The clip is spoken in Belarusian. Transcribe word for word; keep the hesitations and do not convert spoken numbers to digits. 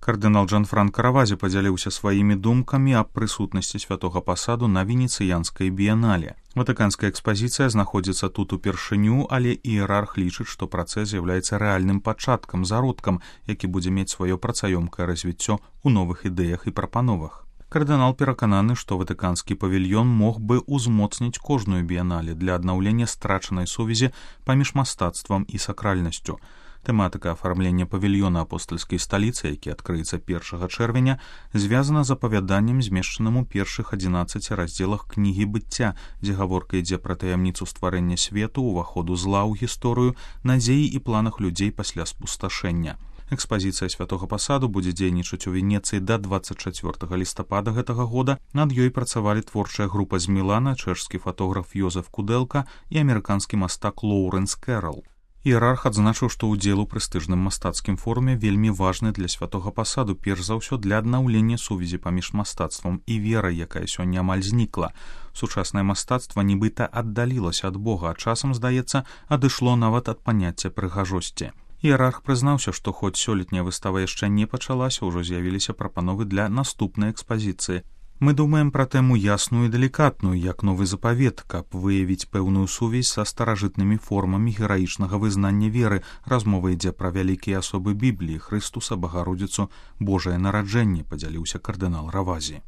Кардынал Джанфранка Равазі падзяліўся сваімі думкамі аб прысутнасці святога пасаду на венецыянскай біянале. Ватыканская экспазіцыя знаходзіцца тут упершыню, але іерарх лічыць, што працэс з'яўляецца рэальным пачаткам, зародкам, які будзе мець сваё працаёмкае развіццё ў новых ідэях і прапановах. Кардынал перакананы, што ватыканскі павільён мог бы ўзмоцніць кожную біянале для аднаўлення страчанай сувязі паміж мастацтвам і сакральнасцю. Тэматыка афармлення павільёна апостальскай сталіцы, які адкрыецца першага чэрвеня, звязана з апавяданнем, змешчаным у першых адзінаццаці раздзелах кнігі быцця, дзе гаворка ідзе пра таямніцу стварэння свету, уваходу зла ў гісторыю, надзеі і планах людзей пасля спусташэння. Экспазіцыя святога пасаду будзе дзейнічаць у Венецыі да дваццаць чацвёртага лістапада гэтага года. Над ёй працавалі творчая група з Мілана, чэшскі фатограф Йозеф Кудэлка і амерыканскі мастак Лоўрэнс Кэрал. Іерарх адзначыў, што ўдзел у прэстыжным мастацкім форуме вельмі важны для святога пасаду, перш за ўсё для аднаўлення сувязі паміж мастацтвам і верай, якая сёння амаль знікла. Сучаснае мастацтва нібыта аддалілася ад Бога, а часам, здаецца, адышло нават ад паняцця прыгажосці. Іерарх прызнаўся, што хоць сёлетняя выстава яшчэ не пачалася, ўжо з'явіліся прапановы для наступнай экспазіцыі. Мы думаем пра тэму ясную і далікатную, як новы запавет, каб выявіць пэўную сувязь са старажытнымі формамі гераічнага вызнання веры. Размова ідзе пра вялікія асобы Бібліі, Хрыстуса, Багародзіцу, Божае нараджэнне, падзяліўся кардынал Равазі.